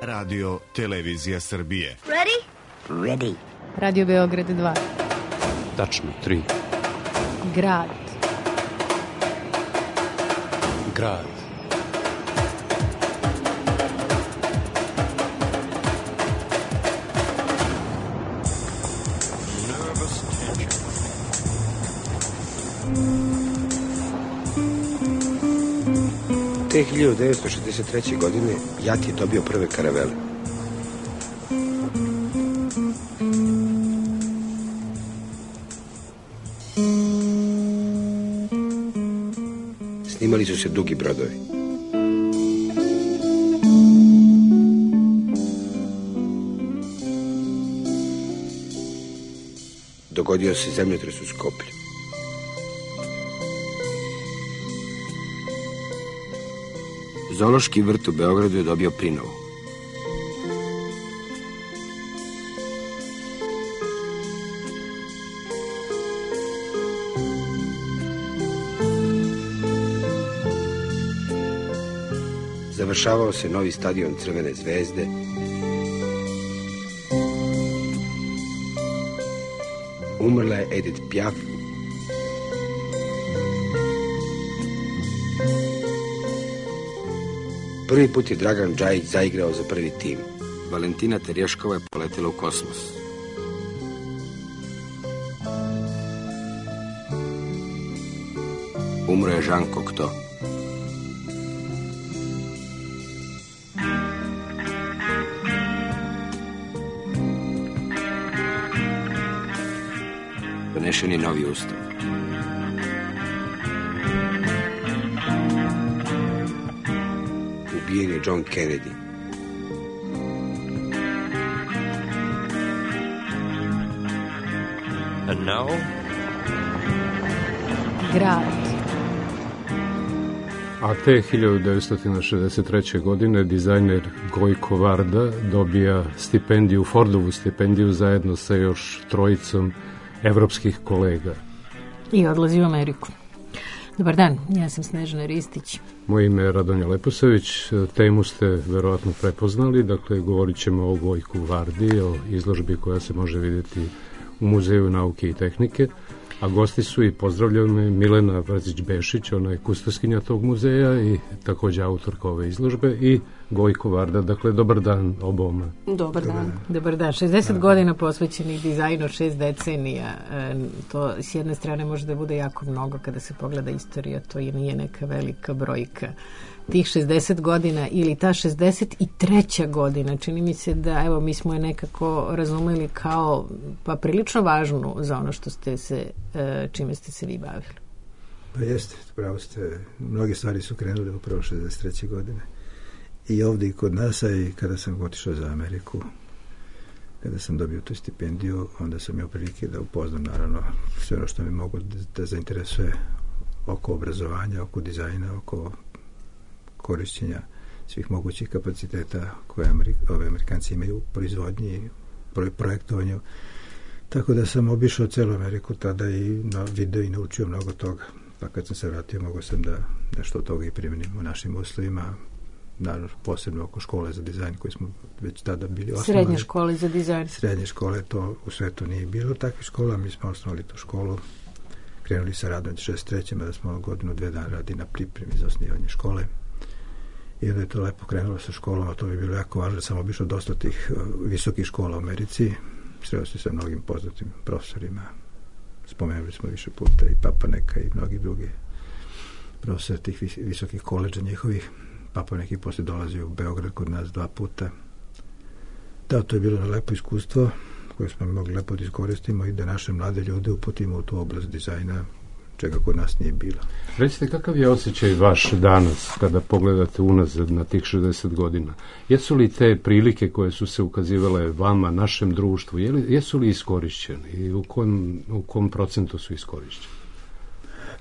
Radio Televizija Srbije. Ready? Ready. Radio Beograd 2. Tačno 3. Grad. Grad. Te 1963. godine JAT je dobio prve karavele. Snimali su se dugi brodovi. Dogodio se zemljotres u Skoplju. Zoološki vrt u Beogradu je dobio prinovu. Završavao se novi stadion Crvene zvezde. Umrla je Edith Piaf. Prvi put je Dragan Džajić zaigrao za prvi tim. Valentina Terješkova je poletela u kosmos. Umro je Jean Cocteau. Donešen je novi ustav. Ubijen je John Kennedy. And now? Grad. A te 1963. godine dizajner Gojko Varda dobija stipendiju, Fordovu stipendiju zajedno sa još trojicom evropskih kolega. I odlazi u Ameriku. Dobar dan, ja sam Snežana Ristić. Moje ime je Radonja Leposavić, temu ste verovatno prepoznali, dakle govorit ćemo o Gojku Vardi, o izložbi koja se može vidjeti u Muzeju nauke i tehnike, a gosti su i pozdravljaju me Milena Vrzić-Bešić, ona je kustoskinja tog muzeja i također autorka ove izložbe, i Gojko Varda, dakle dobar dan oboma. Dobar dan. Dobar dan. 60 godina posvećenih dizajnu, 6 decenija. To s jedne strane može da bude jako mnogo kada se pogleda istorija, to i nije neka velika brojka. Tih 60 godina ili ta 63. godina, čini mi se da, evo, mi smo je nekako razumeli kao pa prilično važnu za ono što ste se, čime ste se vi bavili. Pa jeste, pravo ste, mnoge stvari su krenule upravo 63. godine. I ovdje i kod nas, a i kada sam otišao za Ameriku, kada sam dobio tu stipendiju, onda sam imao prilike da upoznam naravno sve ono što mi mogu da zainteresuje oko obrazovanja, oko dizajna, oko korišćenja svih mogućih kapaciteta koje Amerikanci imaju u proizvodnji i projektovanju. Tako da sam obišao celu Ameriku tada i video i naučio mnogo toga. Pa kad sam se vratio, mogao sam da nešto od toga i primenim u našim uslovima, naravno posebno oko škole za dizajn koji smo već tada bili osnovali. Srednje škole za dizajn. Srednje škole, to u svetu nije bilo takvih škola, mi smo osnovali tu školu, krenuli sa radom 63. da smo godinu, 2 dana radi na pripremi za osnivanje škole. I onda je to lepo krenulo sa školom, a to bi bilo jako važno, da sam obišao dosta tih visokih škola u Americi, sreo se sa mnogim poznatim profesorima, spomenuli smo više puta i Papaneka i mnogi drugi profesori tih visokih koleđa njihovih. Papanek i poslije dolazio u Beograd kod nas 2 puta. Da, to je bilo lepo iskustvo koje smo mogli lepo da iskoristimo i da naše mlade ljude uputimo u tu oblast dizajna, čega kod nas nije bilo. Recite, kakav je osjećaj vaš danas kada pogledate unazad na tih 60 godina? Jesu li te prilike koje su se ukazivale vama, našem društvu, jesu li iskorišćene i u kom procentu su iskorišćene?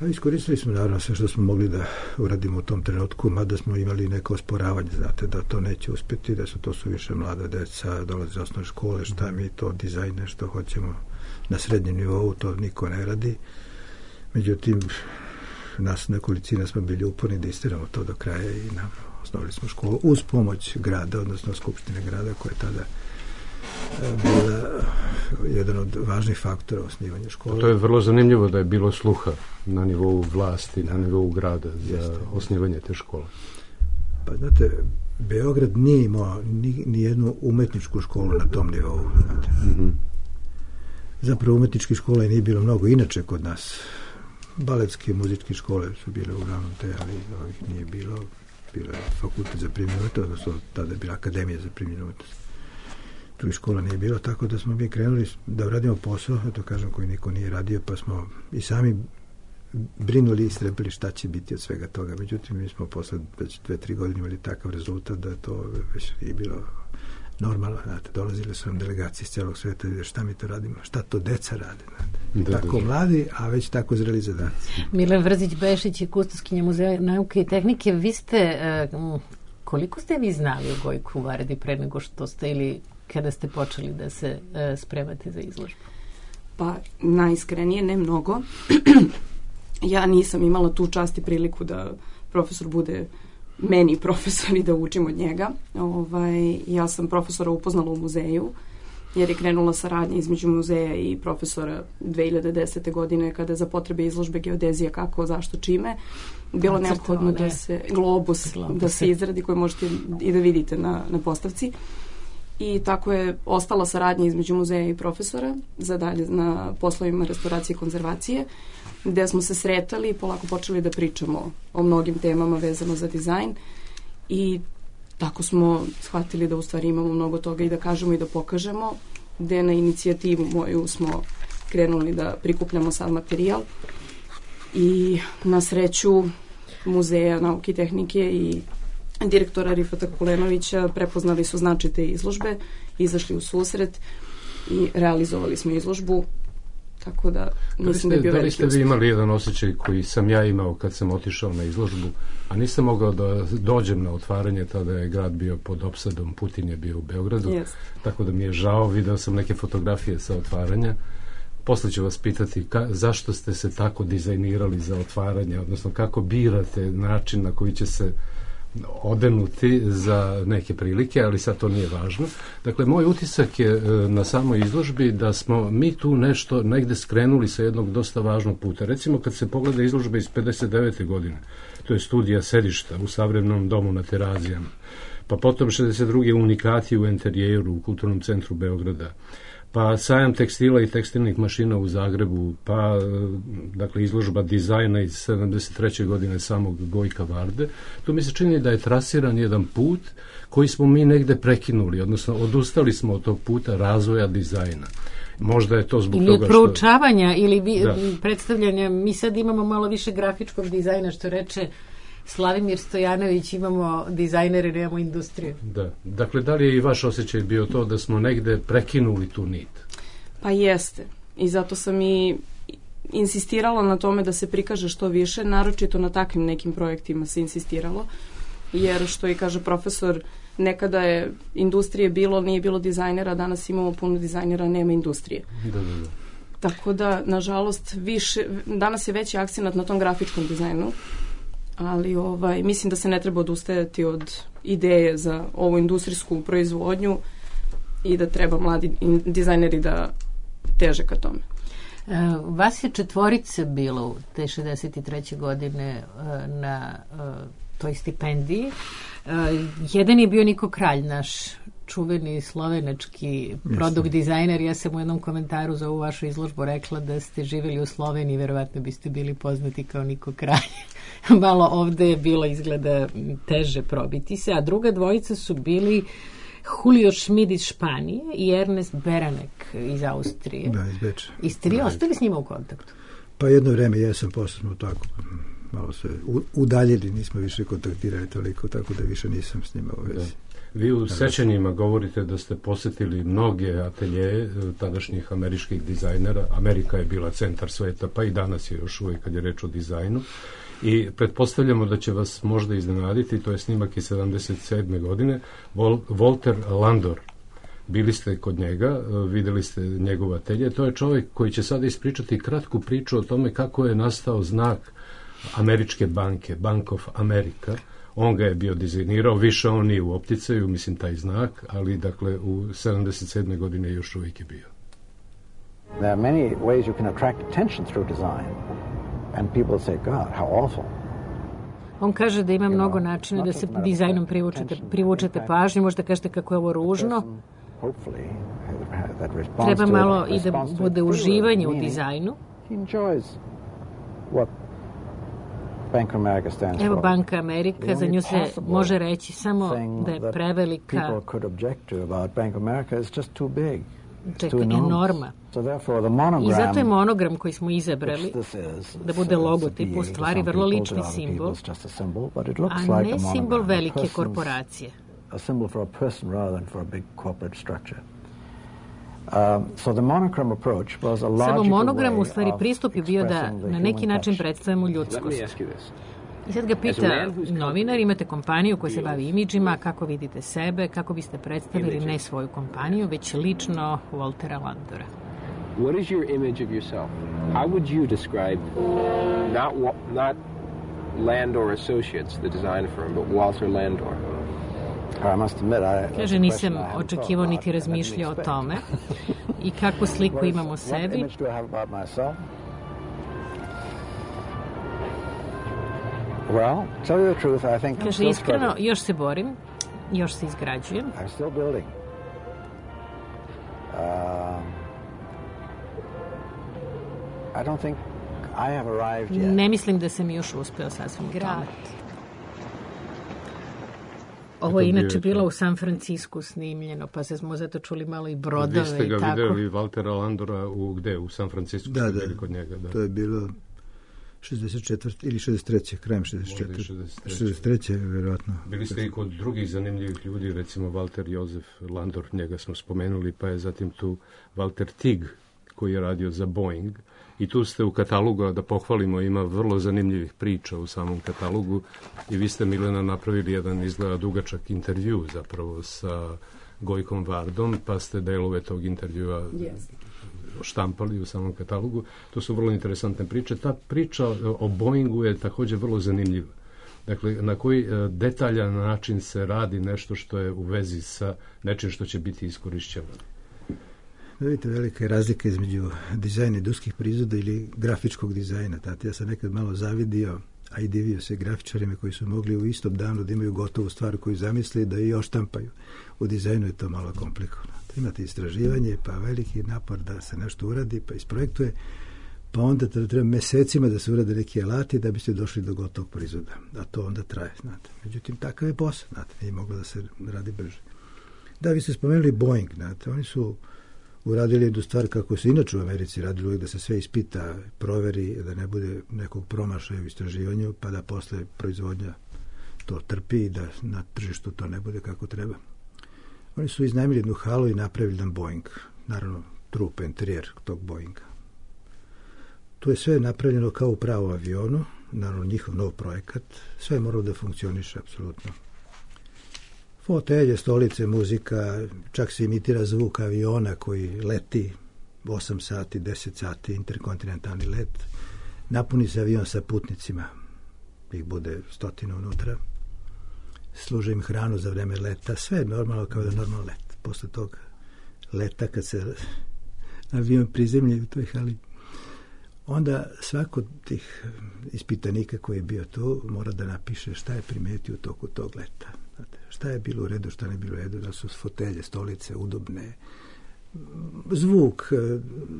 Iskoristili smo naravno sve što smo mogli da uradimo u tom trenutku, mada smo imali neko osporavanje, znate, da to neće uspjeti, da su to suviše mlada deca, dolaze iz osnovne škole, šta mi to dizajne, što hoćemo na srednjem nivou, to niko ne radi. Međutim, nas nekolicina smo bili uporni da istiramo to do kraja i osnovali smo školu uz pomoć grada, odnosno Skupštine grada, koja je tada bila jedan od važnih faktora osnivanja škole. To je vrlo zanimljivo da je bilo sluha na nivou vlasti, na nivou grada za osnivanje te škole. Pa znate, Beograd nije imao ni jednu umetničku školu na tom nivou. Zapravo umetničkih škola nije bilo mnogo inače kod nas. Baletske muzičke škole su bile uglavnom te, ali ovih nije bilo. Bilo je fakultet za primjenu umetnosti, odnosno tada je bila akademija za primjenu umetnosti. Tu škola nije bilo, tako da smo mi krenuli da radimo posao, to kažem, koji niko nije radio, pa smo i sami brinuli i strebili šta će biti od svega toga. Međutim, mi smo posle već 2-3 godine imali takav rezultat da to već nije bilo normalno. Znate, dolazile su nam delegacije iz celog sveta i šta mi to radimo, šta to deca rade. Tako mladi, a već tako zreli zadaci. Milan Vrzić-Bešić je kustoskinja Muzeja nauke i tehnike. Vi ste, koliko ste vi znali o Gojku Vardi pre nego što ste ili kada ste počeli da se spremate za izložbu? Pa, najiskrenije, ne mnogo. Ja nisam imala tu čast i priliku da profesor bude meni profesor i da učim od njega. Ja sam profesora upoznala u muzeju, jer je krenula saradnja između muzeja i profesora 2010. godine, kada za potrebe izložbe geodezija kako, zašto, čime, bilo neophodno da se globus da se izradi, koji možete i da vidite na postavci. I tako je ostala saradnja između muzeja i profesora za dalje na poslovima restauracije i konzervacije, gde smo se sretali i polako počeli da pričamo o mnogim temama vezano za dizajn i tako smo shvatili da u stvari imamo mnogo toga i da kažemo i da pokažemo, gde na inicijativu moju smo krenuli da prikupljamo sav materijal i na sreću Muzeja nauke i tehnike i direktora Rifata Kulenovića prepoznali su značaj te izložbe, izašli u susret i realizovali smo izložbu, tako da mislim da je bio veliki uspjeh. Da li ste vi imali jedan osjećaj koji sam ja imao kad sam otišao na izložbu, a nisam mogao da dođem na otvaranje, tada je grad bio pod opsadom, Putin je bio u Beogradu, tako da mi je žao, video sam neke fotografije sa otvaranja. Posle ću vas pitati zašto ste se tako dizajnirali za otvaranje, odnosno kako birate način na koji će se odenuti za neke prilike, ali sad to nije važno. Dakle, moj utisak je na samoj izložbi da smo mi tu nešto negde skrenuli sa jednog dosta važnog puta. Recimo, kad se pogleda izložba iz 59. godine, to je studija sedišta u Savremenom domu na Terazijama, pa potom 62. unikati u enterijeru u Kulturnom centru Beograda, pa sajam tekstila i tekstilnih mašina u Zagrebu, pa dakle izložba dizajna iz 73. godine samog Gojka Varde. Tu mi se čini da je trasiran jedan put koji smo mi negde prekinuli, odnosno odustali smo od tog puta razvoja dizajna. Možda je to zbog toga što... Ili proučavanja, ili predstavljanja. Mi sad imamo malo više grafičkog dizajna, što reče Slavimir Stojanović, imamo dizajnere, nemamo industriju. Da. Dakle, da li je i vaš osjećaj bio to da smo negde prekinuli tu nit? Pa jeste. I zato sam i insistirala na tome da se prikaže što više, naročito na takvim nekim projektima se insistiralo, jer što i kaže profesor, nekada je industrije bilo, nije bilo dizajnera, danas imamo puno dizajnera, nema industrije. Da. Tako da, nažalost, danas je veći akcenat na tom grafičkom dizajnu, ali mislim da se ne treba odustajati od ideje za ovu industrijsku proizvodnju i da treba mladi dizajneri da teže ka tome. Vas je 4 bilo te 63. godine na toj stipendiji. Jedan je bio Niko Kralj, naš čuveni slovenački produkt dizajner. Ja sam u jednom komentaru za ovu vašu izložbu rekla da ste živjeli u Sloveniji, verovatno biste bili poznati kao Niko Kralj. Malo ovde je bilo izgleda teže probiti se, a druga dvojica su bili Julio Schmid iz Španije i Ernest Beranek iz Austrije. Da, iz Beča. I ste vi ostali s njima u kontaktu? Pa jedno vreme jesam, posle smo tako malo se udaljili, nismo više kontaktirali toliko, tako da više nisam s njima u vezi. Vi u sećanjima govorite da ste posetili mnoge ateljeje tadašnjih američkih dizajnera. Amerika je bila centar sveta, pa i danas je još uvijek kad je reč o dizajnu. I pretpostavljamo da će vas možda iznenaditi, to je snimak iz 77. godine, Walter Landor. Bili ste kod njega, videli ste njegov atelje. To je čovjek koji će sada ispričati kratku priču o tome kako je nastao znak američke banke, Bank of America, On ga je bio dizajnirao, više on nije u opticaju, mislim taj znak, ali dakle u 77. godine još uvijek je bio. There are many ways you can attract attention through design. And people say, God, how awful. On kaže da ima mnogo načina da se dizajnom privučete pažnju, možda kažete kako je ovo ružno. Treba malo i da bude uživanje u dizajnu. Evo Banka Amerika, za nju se može reći samo da je prevelika, enorma. I zato je monogram koji smo izabrali da bude logotip u stvari vrlo lični simbol, a ne simbol velike korporacije. Samo monogram u stvari pristup je bio da na neki način predstavimo ljudskost. I sad ga pita novinar, imate kompaniju koja se bavi imidžima, kako vidite sebe, kako biste predstavili ne svoju kompaniju, već lično Waltera Landora. What is your image of yourself? How would you describe not Landor Associates, the design firm, but Walter Landor? Kaže, nisam očekivao niti razmišljao o tome. I kakvu sliku imam o sebi? Kaže, iskreno, još se borim, još se izgrađujem. Ne mislim da sam još uspeo sasvim u tome. Ovo je inače bilo u San Francisku snimljeno, pa se smo zato čuli malo i brodove i tako. Vi ste ga videli Waltera Landora u San Francisku? Da, kod njega, da. To je bilo 64. ili 63. krajem 64. 63. vjerojatno. Bili ste i kod drugih zanimljivih ljudi, recimo Walter Josef Landor, njega smo spomenuli, pa je zatim tu Walter Tig, koji je radio za Boeing. I tu ste u katalogu, da pohvalimo, ima vrlo zanimljivih priča u samom katalogu i vi ste, Milena, napravili jedan izgleda dugačak intervju zapravo sa Gojkom Vardom, pa ste delove tog intervjua štampali u samom katalogu. To su vrlo interesantne priče. Ta priča o Boeingu je također vrlo zanimljiva. Dakle, na koji detaljan način se radi nešto što je u vezi sa nečim što će biti iskorišćeno. Vidite, velika je razlika između dizajna industrijskih proizvoda ili grafičkog dizajna. Ja sam nekad malo zavidio, a i divio se grafičarima koji su mogli u istom danu da imaju gotovu stvar koju zamisli da i oštampaju. U dizajnu je to malo komplikovano. Imate istraživanje, pa veliki napor da se nešto uradi, pa isprojektuje, pa onda treba mesecima da se urade neki alati da biste došli do gotovog proizvoda. A to onda traje, znate. Međutim, takav je posao, znate, nije moglo da se radi brže. Da, vi ste spomenuli Boeing, znate, oni su uradili jednu stvar kako se inače u Americi radili uvijek, da se sve ispita, proveri, da ne bude nekog promašaja u istraživanju, pa da posle proizvodnja to trpi i da na tržištu to ne bude kako treba. Oni su iznajmili jednu halu i napravili jedan Boeing, naravno trup, interijer tog Boeinga. Tu je sve napravljeno kao u pravom avionu, naravno njihov nov projekat, sve je moralo da funkcioniše apsolutno. Fotelje, stolice, muzika, čak se imitira zvuk aviona koji leti 8 sati, 10 sati, interkontinentalni let. Napuni se avion sa putnicima, ih bude 100 unutra. Služe im hranu za vreme leta, sve je normalno kao da je normalno let. Posle tog leta, kad se avion prizemlja u toj hali, onda svako od tih ispitanika koji je bio tu mora da napiše šta je primetio u toku tog leta. Šta je bilo u redu, šta ne bilo u redu, da su fotelje, stolice udobne, zvuk,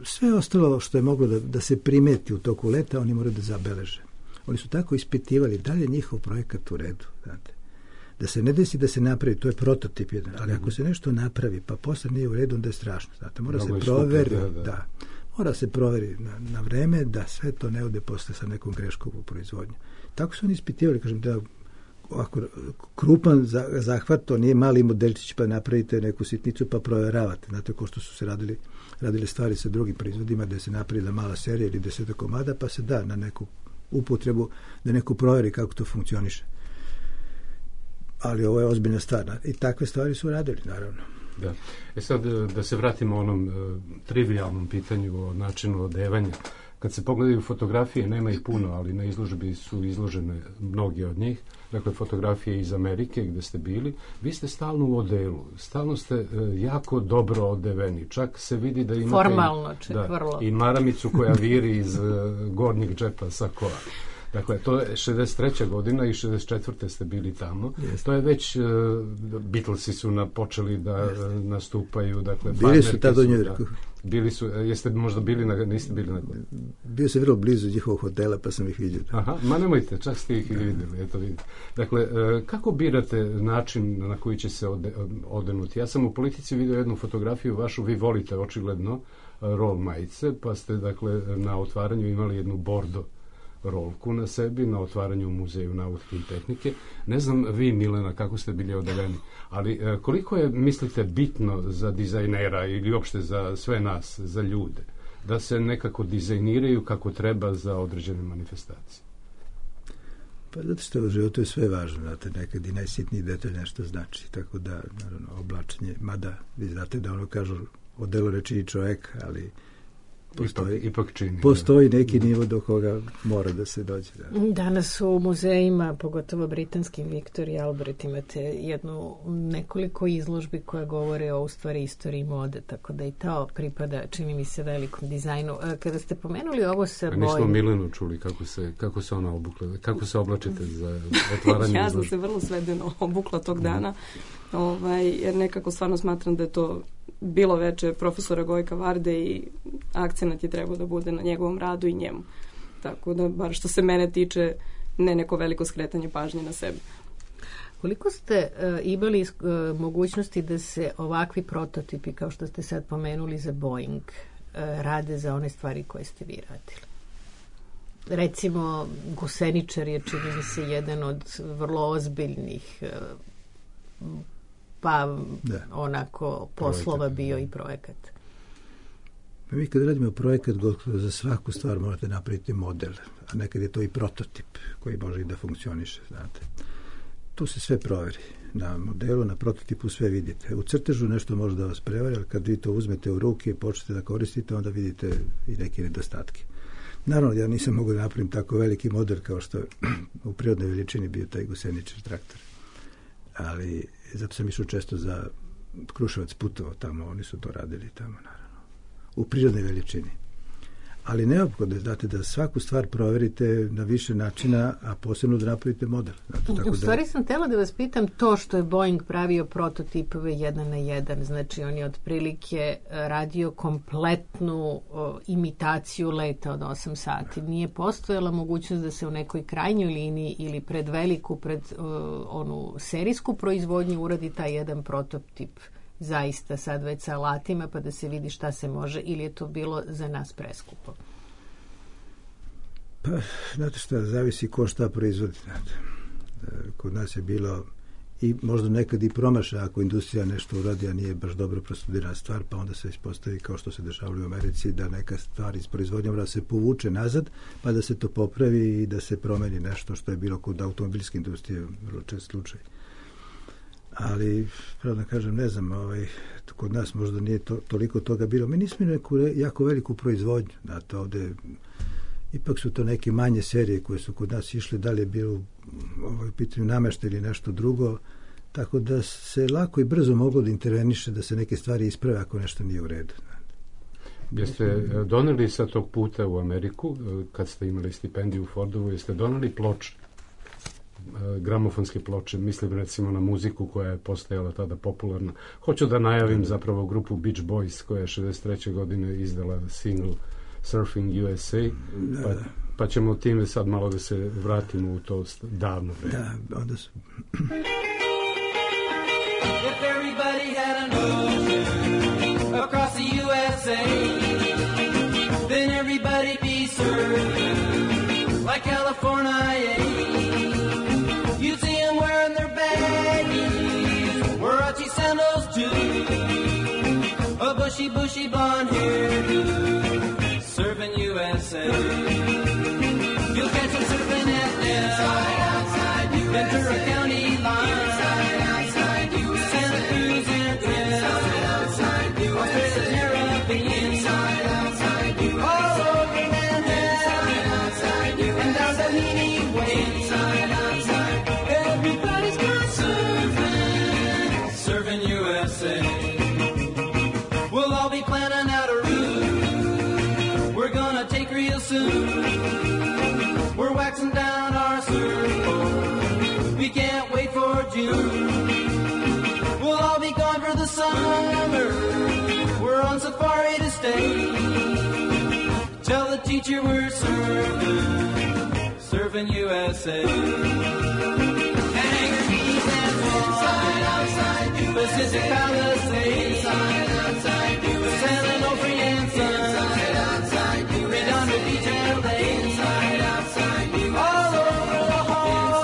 sve ostalo što je moglo da se primeti u toku leta, oni moraju da zabeleže. Oni su tako ispitivali da li je njihov projekat u redu, znate. Da se ne desi da se napravi, to je prototip jedan, ali ako se nešto napravi, pa posle nije u redu, onda je strašno, znate. Mora se proveri, mora se proveri na vreme da sve to ne ode posle sa nekom greškom u proizvodnju. Tako su oni ispitivali, kažem, da ovako krupan zahvat, to nije mali modelčić pa napravite neku sitnicu pa proveravate. Znate, ko što su se radili stvari sa drugim proizvodima, da se napravila mala serija ili 10 komada, pa se da na neku upotrebu, da neko proveri kako to funkcioniše. Ali ovo je ozbiljna stvar. I takve stvari su radili, naravno. Da. Sad, da se vratimo onom trivialnom pitanju o načinu odevanja. Kad se pogledaju fotografije, nema ih puno, ali na izložbi su izložene mnogi od njih. Dakle, fotografije iz Amerike gde ste bili. Vi ste stalno u odelu. Stalno ste jako dobro odeveni. Čak se vidi da imate... Formalno, vrlo. I maramicu koja viri iz gornjeg džepa sakoa. Dakle, to je 63. godina i 64. ste bili tamo. Jeste. To je već, Beatlesi su počeli da nastupaju. Dakle, bili su tada u Njujorku. Bili su, jeste možda bili niste bili na... Bio sam vrlo blizu njihovog hotela, pa sam ih vidio. Aha, ma nemojte, čak ste ih i vidjeli, eto vidite. Dakle, kako birate način na koji će se odenuti? Ja sam u Politici vidio jednu fotografiju vašu, vi volite očigledno rol majice, pa ste, dakle, na otvaranju imali jednu bordo rolku na sebi, na otvaranju u Muzeju nauke i tehnike. Ne znam vi, Milena, kako ste bili odeveni, ali koliko je, mislite, bitno za dizajnera ili uopšte za sve nas, za ljude, da se nekako dizajniraju kako treba za određene manifestacije? Pa zato što u životu je sve važno, znate, nekad i najsitniji detalj nešto znači, tako da, naravno, oblačenje, mada vi znate da ono kažu odelo ne čini čovek, ali postoji neki nivo do koga mora da se dođe. Da. Danas u muzejima, pogotovo britanskim, Victoria i Albert, imate nekoliko izložbi koje govore o, u stvari, istoriji mode, tako da i to pripada, čini mi se, velikom dizajnu. Kada ste pomenuli ovo sa bojom... Nismo Milenu čuli kako se ona obukla, kako se oblačite za otvaranje Ja sam se vrlo svedeno obukla tog dana, jer nekako stvarno smatram da je to bilo veče profesora Gojka Varde i akcenat je trebao da bude na njegovom radu i njemu. Tako da, bar što se mene tiče, ne neko veliko skretanje pažnje na sebe. Koliko ste imali mogućnosti da se ovakvi prototipi, kao što ste sad pomenuli za Boeing, rade za one stvari koje ste vi radili? Recimo, guseničar je, čini mi se, jedan od vrlo ozbiljnih onako poslova bio i projekat. Pa mi kad radimo projekat, za svaku stvar morate napraviti model, a nekad je to i prototip koji može i da funkcioniše, znate. Tu se sve proveri. Na modelu, na prototipu sve vidite. U crtežu nešto može da vas prevari, ali kad vi to uzmete u ruke i počnete da koristite, onda vidite i neke nedostatke. Naravno, ja nisam mogao da napravim tako veliki model kao što u prirodnoj veličini bio taj guseničar traktor. Ali zato sam išao često za Kruševac putovao tamo, oni su to radili tamo, naravno, u prirodnoj veličini. Ali neophodno je, znate, da svaku stvar proverite na više načina, a posebno da napravite model. Znate, u stvari sam htjela da vas pitam to što je Boeing pravio prototipove 1:1, znači on je otprilike radio kompletnu imitaciju leta od 8 sati. Nije postojala mogućnost da se u nekoj krajnjoj liniji ili pred onu serijsku proizvodnju uradi taj jedan prototip zaista sad već sa alatima pa da se vidi šta se može, ili je to bilo za nas preskupo? Pa, znate šta, zavisi ko šta proizvodi. Znate. Kod nas je bilo i možda nekad i promaša ako industrija nešto uradi, a nije baš dobro prostudirana stvar, pa onda se ispostavi kao što se dešavalo u Americi, da neka stvar iz proizvodnja mora se povuče nazad, pa da se to popravi i da se promeni nešto što je bilo kod automobilske industrije, vrlo čest slučaj. Ali, pravda kažem, ne znam, kod nas možda nije toliko toga bilo. Mi nismo neku jako veliku proizvodnju. Znate, ovde ipak su to neke manje serije koje su kod nas išle, da li je bilo u pitanju namešta ili nešto drugo, tako da se lako i brzo moglo da interveniše, da se neke stvari isprave ako nešto nije u redu. Jeste doneli sa tog puta u Ameriku, kad ste imali stipendiju u Fordovu, jeste doneli ploče? Gramofonske ploče, mislim recimo na muziku koja je postajala tada popularna. Hoću da najavim zapravo grupu Beach Boys koja je 63. godine izdala single Surfing USA, pa ćemo time sad malo da se vratimo u to davno vreme. Da, onda su... If everybody had an ocean across the USA, then everybody'd be surfing like California. You'd see them wearing their baggies, Warachi sandals too, a bushy blonde hairdo, surfing USA. You'll catch them surfing at Nell, Ventura County line, Santa Cruz and Australia's Caribbean, all over Manhattan. We're waxing down our circle. We can't wait for June. We'll all be gone for the summer. We're on safari to stay. Tell the teacher we're surfing USA. Hangar's and inside, outside, Pacific Palisades. Inside, outside, San Onofre and Sun. Inside, outside, Redondo Beach, LA. Inside, outside, all over La Jolla.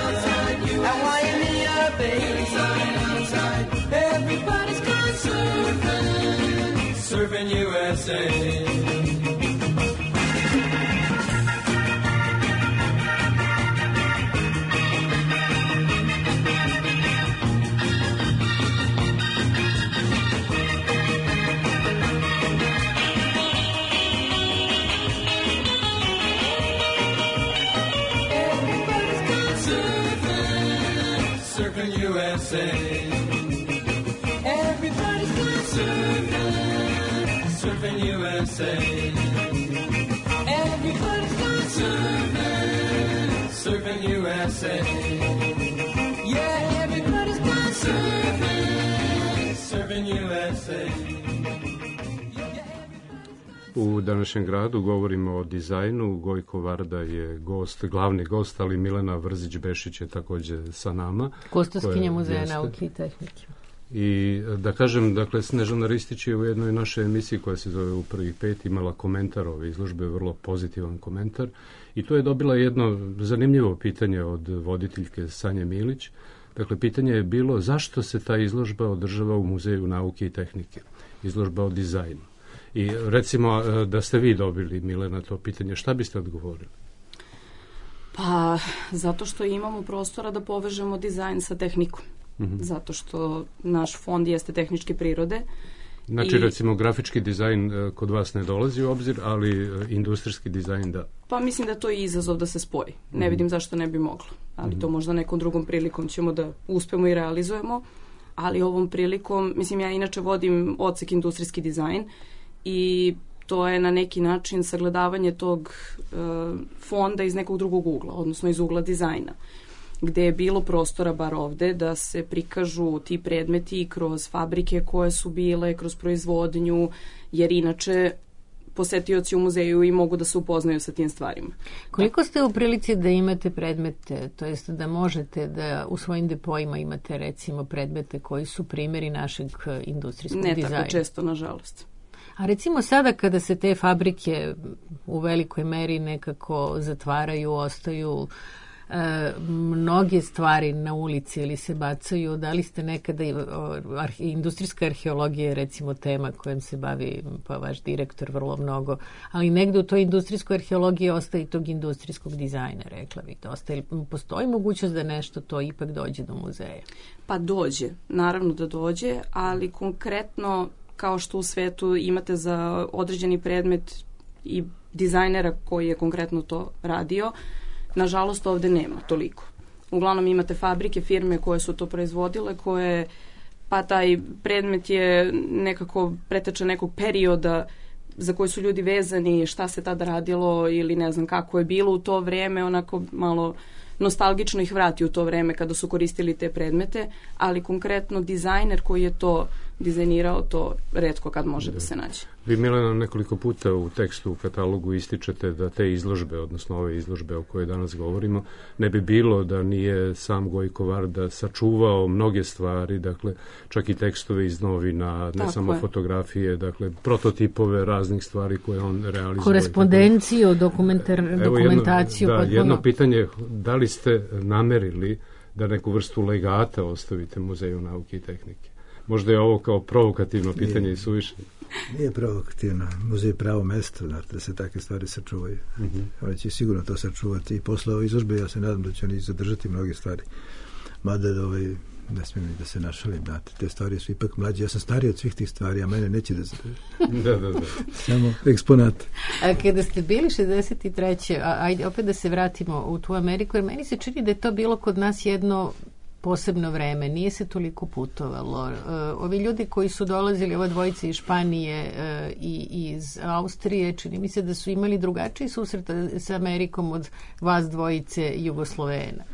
Outside, at Waimea Bay. Inside, outside, everybody's gone surfing USA. Surfing USA. Everybody's gone surfing USA. Everybody's gone surfing USA. Yeah, everybody's gone surfing USA. U današnjem gradu govorimo o dizajnu. Gojko Varda je gost, glavni gost, ali Milena Vrzić-Bešić je takođe sa nama. Kustoskinja Muzeja nauke i tehnike. I da kažem, dakle, Snežana Ristić je u jednoj našoj emisiji koja se zove U prvih 5 imala komentar ove izložbe, vrlo pozitivan komentar. I tu je dobila jedno zanimljivo pitanje od voditeljke Sanje Milić. Dakle, pitanje je bilo zašto se ta izložba održava u Muzeju nauke i tehnike. Izložba o dizajnu. I recimo da ste vi dobili, Milena, to pitanje, šta biste odgovorili? Pa, zato što imamo prostora da povežemo dizajn sa tehnikom. Zato što naš fond jeste tehničke prirode. Znači, recimo, grafički dizajn kod vas ne dolazi u obzir, ali industrijski dizajn da. Pa mislim da to je izazov da se spoji. Ne vidim zašto ne bi moglo. Ali to možda nekom drugom prilikom ćemo da uspemo i realizujemo. Ali ovom prilikom, mislim, ja inače vodim odsek industrijski dizajn i to je na neki način sagledavanje tog fonda iz nekog drugog ugla, odnosno iz ugla dizajna, gde je bilo prostora, bar ovde, da se prikažu ti predmeti kroz fabrike koje su bile, kroz proizvodnju, jer inače posetioci u muzeju i mogu da se upoznaju sa tim stvarima. Koliko ste u prilici da imate predmete, to jest da možete da u svojim depoima imate recimo predmete koji su primjeri našeg industrijskog dizajna? Ne tako često, nažalost. A recimo sada kada se te fabrike u velikoj meri nekako zatvaraju, ostaju mnoge stvari na ulici ili se bacaju, da li ste nekada industrijska arheologija je recimo tema kojom se bavi pa vaš direktor vrlo mnogo, ali negde u toj industrijskoj arheologiji ostaje i tog industrijskog dizajna, rekla bih. Postoji mogućnost da nešto to ipak dođe do muzeja? Pa dođe, naravno da dođe, ali konkretno kao što u svetu imate za određeni predmet i dizajnera koji je konkretno to radio, nažalost ovde nema toliko. Uglavnom imate fabrike, firme koje su to proizvodile, koje, pa taj predmet je nekako preteča nekog perioda za koji su ljudi vezani, šta se tada radilo ili ne znam kako je bilo u to vreme, onako malo nostalgično ih vrati u to vreme kada su koristili te predmete, ali konkretno dizajner koji je to dizajnirao, to retko kad može da se nađe. Vi, Milena, nekoliko puta u tekstu u katalogu ističete da te izložbe, odnosno ove izložbe o kojoj danas govorimo, ne bi bilo da nije sam Gojko Varda sačuvao mnoge stvari, dakle, čak i tekstove iz novina, ne tako samo fotografije, dakle, prototipove raznih stvari koje on realizuje. Korespondenciju, dokumentaciju. Jedno pitanje, da li ste namerili da neku vrstu legata ostavite Muzeju nauke i tehnike? Možda je ovo kao provokativno pitanje i suviše. Nije provokativno. Muzej je pravo mesto, da se takve stvari sačuvaju. Oni će sigurno to sačuvati. I posle ove izložbe ja se nadam da će oni zadržati mnoge stvari. Mada ne smijem da se našalim, znate. Te stvari su ipak mlađe. Ja sam stariji od svih tih stvari, a mene neće da zadrži. Da. Samo eksponat. A kada ste bili 63. Ajde opet da se vratimo u tu Ameriku, jer meni se čini da je to bilo kod nas jedno posebno vreme, nije se toliko putovalo. Ovi ljudi koji su dolazili, ova dvojica iz Španije i iz Austrije, čini mi se da su imali drugačiji susret sa Amerikom od vas dvojice Jugoslovena.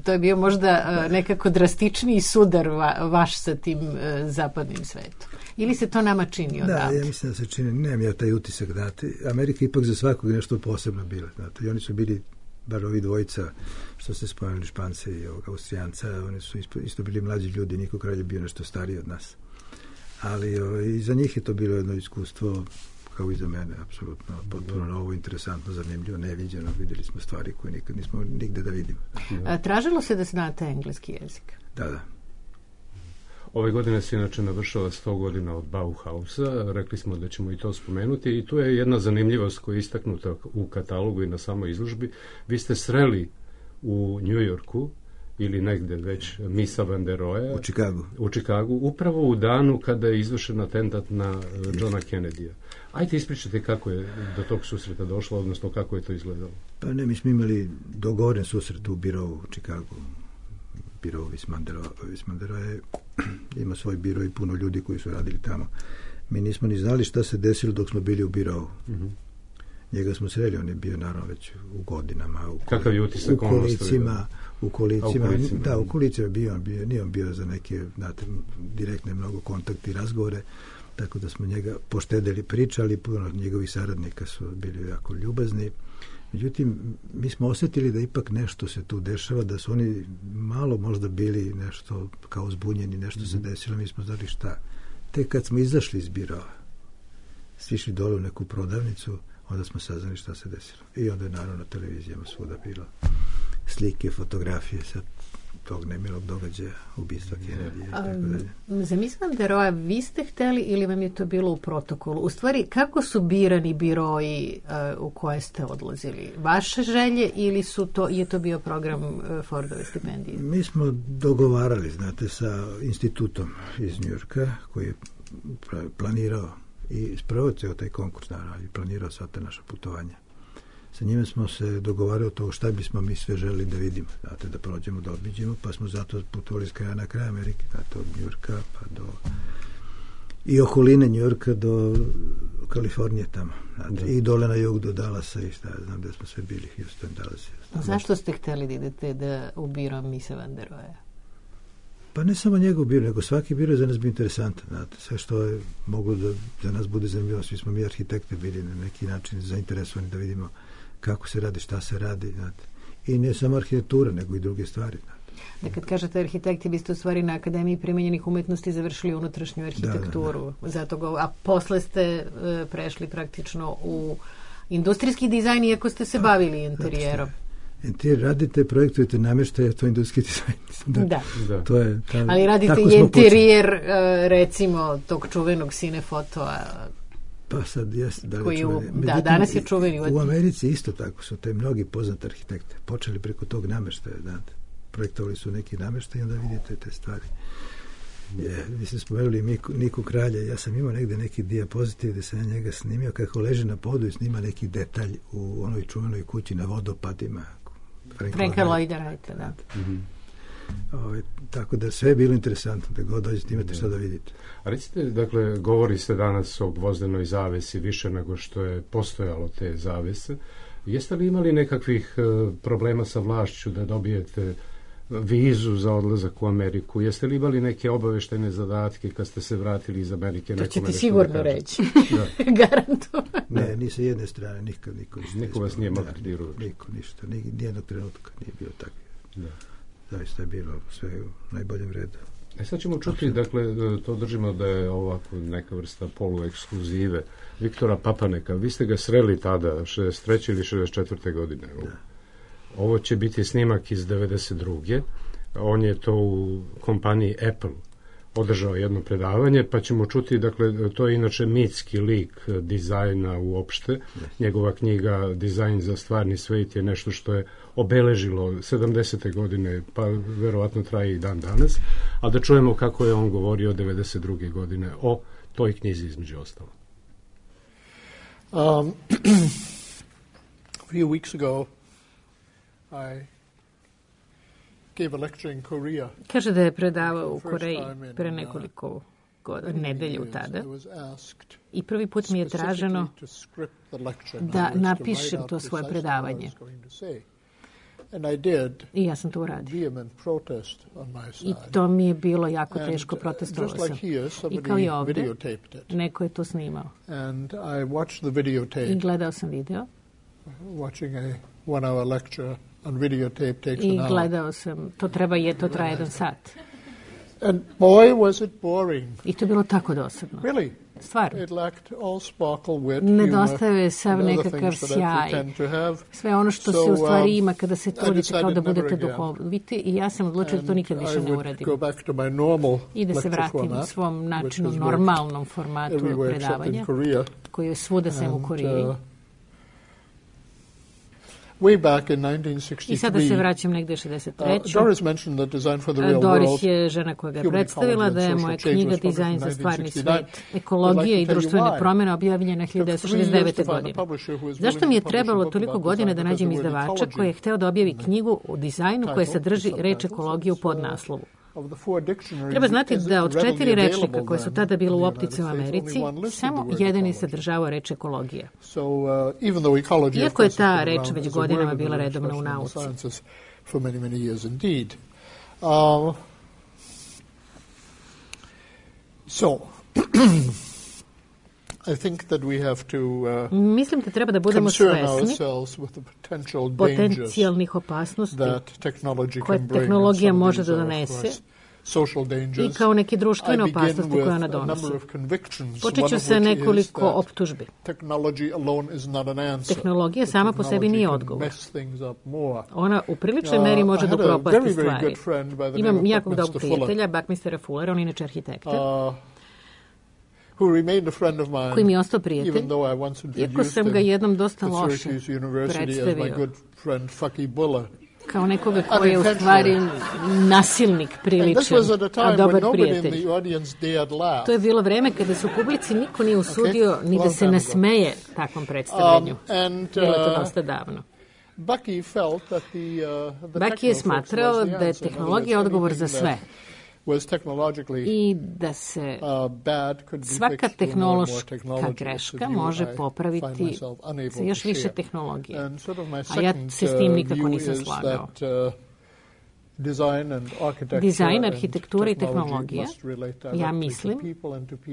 To je bio možda nekako drastičniji sudar vaš sa tim zapadnim svetom. Ili se to nama čini odavde? Da, ja mislim da se čini. Nemam ja taj utisak. Znate. Amerika ipak za svakog nešto posebno bila. Znate. I oni su bili, bar ovi dvojica, što ste spomenuli, Špance i ovog Austrijanca, oni su isto bili mlađi ljudi, niko kralj je bio nešto stariji od nas. Ali i za njih je to bilo jedno iskustvo, kao i za mene, apsolutno potpuno novo, interesantno, zanimljivo, neviđeno. Vidjeli smo stvari koje nikad nismo nigde da vidimo. Tražilo se da znate engleski jezik? Da. Ove godine se inače navršava 100 godina od Bauhausa, rekli smo da ćemo i to spomenuti i tu je jedna zanimljivost koja je istaknuta u katalogu i na samoj izložbi. Vi ste sreli u New Yorku ili negde već Misa van der Rohe u Čikagu, upravo u danu kada je izvršen atentat na Johna Kennedy-a. Ajde ispričajte kako je do tog susreta došlo, odnosno kako je to izgledalo. Pa ne, mi smo imali dogovoren susret u birovu u Čikagu. Biro Vismandera ima svoj biro i puno ljudi koji su radili tamo. Mi nismo ni znali šta se desilo dok smo bili u birovu. Njega smo sreli, on je bio naravno već u godinama. Kakav je utisak u kolicima. Da, u kolicima nije on bio za neke direktne mnogo kontakte i razgovore, tako da smo njega poštedeli, pričali, puno njegovih saradnika su bili jako ljubazni. Međutim, mi smo osjetili da ipak nešto se tu dešava, da su oni malo možda bili nešto kao zbunjeni, nešto se desilo, mi smo znali šta. Tek kad smo izašli iz birova, sišli dole u neku prodavnicu, onda smo saznali šta se desilo. I onda je naravno na televizijama svuda bilo slike, fotografije sa tog nemilog događaja, ubistva Kennedy i tako dalje. Za Misa van der Rohe vi ste hteli ili vam je to bilo u protokolu? U stvari, kako su birani biroji u koje ste odlazili? Vaše želje ili je to bio program Fordove stipendije? Mi smo dogovarali, znate, sa institutom iz Njujorka koji je planirao i sprovoceo taj konkurs, naravno, i planirao sva ta naša putovanja. Sa njime smo se dogovarali o to šta bismo mi sve želeli da vidimo, znate, da prođemo, da obiđemo, pa smo zato putovali s kraja na kraj Amerike, znate, od Njujorka pa do i okoline Njujorka do Kalifornije tamo, znate, i dole na jug do Dallasa i šta, znam da smo sve bili, Houston, Dallas. Zašto ste hteli da idete da u biro Misa van der Rohe? Pa ne samo njegov biro, nego svaki biro je za nas bio interesantan, znate, sve što je moglo da za nas bude zanimljivo, svi smo mi arhitekte bili na neki način zainteresovani da vidimo kako se radi, šta se radi, znate. I ne samo arhitektura, nego i druge stvari, znate. Da kad kažete arhitekti, vi ste u stvari na Akademiji primenjenih umetnosti završili unutrašnju arhitekturu. Da. Zato a posle ste prešli praktično u industrijski dizajn, iako ste se bavili interijerom. Interijer radite, projektujete namještaje, to je industrijski dizajn. Da. To je, ali radite i interijer, recimo, tog čuvenog cinefotoa. Pa sad jest, danas je čuveni. U Americi isto tako su te mnogi poznati arhitekte počeli preko tog namještaja, znate. Projektovali su neki namještaj i onda vidite te stvari. Vi ste spomenuli Niku Kralja, ja sam imao negde neki dijapozitiv gde sam ja njega snimio kako leži na podu i snima neki detalj u onoj čuvenoj kući na vodopadima. Franka Lloyda Wrighta, da. Tako da sve je bilo interesantno, da god dođete imate šta da vidite. A recite, dakle, govori se danas o gvozdenoj zavesi više nego što je postojalo te zavese. Jeste li imali nekakvih problema sa vlašću da dobijete vizu za odlazak u Ameriku? Jeste li imali neke obaveštajne zadatke kad ste se vratili iz Amerike? To ćete sigurno reći. Garantovano. Ne, ni sa jedne strane, nikad niko vas nije maltretirao. Niko, ništa. Nijednog trenutka nije bio tako. Zaista je bilo sve u najboljem redu. Sad ćemo čuti, dakle, to držimo da je ovako neka vrsta poluekskluzive Viktora Papaneka. Vi ste ga sreli tada, 63. ili 64. godine. Da. Ovo će biti snimak iz 92. On je to u kompaniji Apple održao jedno predavanje, pa ćemo čuti, dakle, to je inače mitski lik dizajna uopšte. Njegova knjiga Dizajn za stvarni svet je nešto što je obeležilo 70. godine, pa verovatno traje i dan danas, a da čujemo kako je on govorio 92. godine o toj knjizi između ostalo. A few weeks ago, I gave a lecture in Korea. Kaže da je predavao u Koreji pre nekoliko nedelje u tada. I prvi put mi je traženo da napišem to svoje predavanje. I ja sam to uradio. I to mi je bilo jako teško, protestovao sam. I kao i ovde, neko je to snimao. I gledao sam video. I gledao sam, to traje 1 sat. And boy, was it boring. I to je bilo tako dosadno. Really? Stvarno. It lacked all sparkle, wit, nedostaje sav nekakav sjaj. Sve ono što se u stvari ima kada se trudite kao da budete duhoviti. I ja sam odlučila da to nikad više ne uradim. I da se vratim u svom načinu, normalnom formatu predavanja, koji je svuda sem u Koreji. Way back in 1963, I sada se vraćam negde 63. Doris mentioned that Design for the Real Doris World, je žena koja ga je predstavila, da je moja knjiga Dizajn za stvarni svet, ekologije i društvene promjene objavljena 1969. godine. Zašto mi je trebalo toliko godina da nađem izdavača koji je hteo da objavi knjigu o dizajnu koja sadrži reč ekologije u podnaslovu? Treba znati da od 4 rečnika koje su tada bilo u optici u Americi, samo jedan je sadržavao reč ekologija. Iako je ta reč već godinama bila redovna u nauci. Mislim da treba da budemo svesni potencijalnih opasnosti koje tehnologija može da donese i kao neke društvene opasnosti koje ona donosi. Počet ću sa nekoliko optužbi. Tehnologija sama po sebi nije odgovor. Ona u priličnoj meri može da upropasti stvari. Imam jakog dobrog prijatelja, Buckminstera Fullera, on je inače arhitekta, koji mi je ostao prijatelj, iako sam ga jednom dosta loše predstavio kao nekoga koji je u stvari nasilnik priličan, a dobar prijatelj. To je bilo vreme kada se u publici niko nije usudio ni da se nasmeje takvom predstavljanju. Bilo je to dosta davno. Bucky je smatrao da je tehnologija odgovor za sve i da se svaka tehnološka greška može popraviti sa još više tehnologije. A ja se s tim nikako nisam slagao. Dizajn, arhitektura i tehnologija, ja mislim,